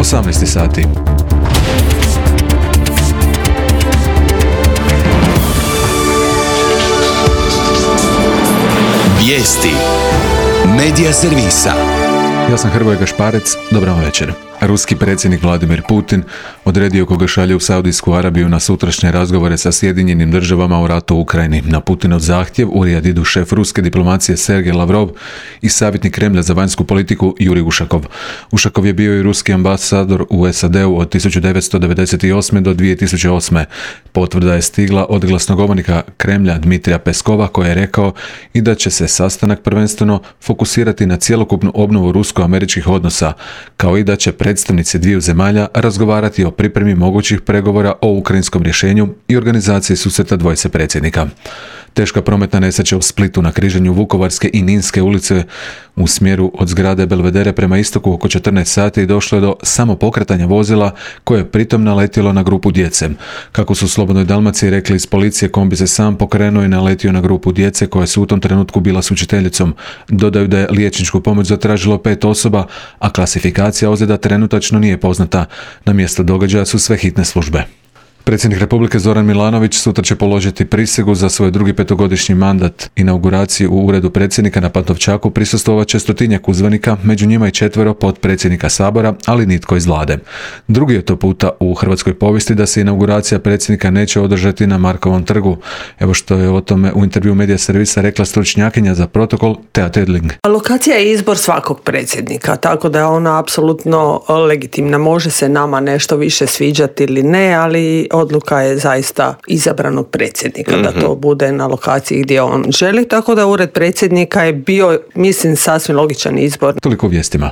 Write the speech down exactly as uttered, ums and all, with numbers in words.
osamnaest sati. Vijesti Medija servisa. Ja sam Hrvoje Gašparec, dobar vam večer. Ruski predsjednik Vladimir Putin odredio koga šalje u Saudijsku Arabiju na sutrašnje razgovore sa Sjedinjenim državama u ratu u Ukrajini. Na Putinov zahtjev u Rijad idu šef ruske diplomacije Sergej Lavrov i savjetnik Kremlja za vanjsku politiku Jurij Ušakov. Ušakov je bio i ruski ambasador u S A D-u od tisuću devetsto devedeset osme do dvije tisuće osme. Potvrda je stigla od glasnogovornika Kremlja Dmitrija Peskova koji je rekao i da će se sastanak prvenstveno fokusirati na cjelokupnu obnovu rusko-američkih odnosa, kao i da će predstavnici dviju zemalja razgovarati o pripremi mogućih pregovora o ukrajinskom rješenju i organizaciji susreta dvojice predsjednika. Teška prometna nesreća u Splitu na križanju Vukovarske i Ninske ulice u smjeru od zgrade Belvedere prema istoku oko četrnaest sati i došlo je do samopokretanja vozila koje je pritom naletjelo na grupu djece. Kako su u Slobodnoj Dalmaciji rekli iz policije, kombi se sam pokrenuo i naletio na grupu djece koja su u tom trenutku bila s učiteljicom. Dodaju da je liječničku pomoć zatražilo pet osoba, a klasifikacija ozljeda trenutačno nije poznata. Na mjesto događaja su sve hitne službe. Predsjednik Republike Zoran Milanović sutra će položiti prisegu za svoj drugi petogodišnji mandat. Inauguraciji u uredu predsjednika na Pantovčaku prisustvovat će stotinjak uzvanika, među njima i četvero potpredsjednika Sabora, ali nitko iz vlade. Drugi je to puta u hrvatskoj povijesti da se inauguracija predsjednika neće održati na Markovom trgu. Evo što je o tome u intervju Medija servisa rekla stručnjakinja za protokol Tea Tedling. Lokacija je izbor svakog predsjednika, tako da je ona apsolutno legitimna. Može se nama nešto više sviđati ili ne, ali odluka je zaista izabranog predsjednika, mm-hmm. da to bude na lokaciji gdje on želi, tako da ured predsjednika je bio, mislim, sasvim logičan izbor. Toliko u vijestima.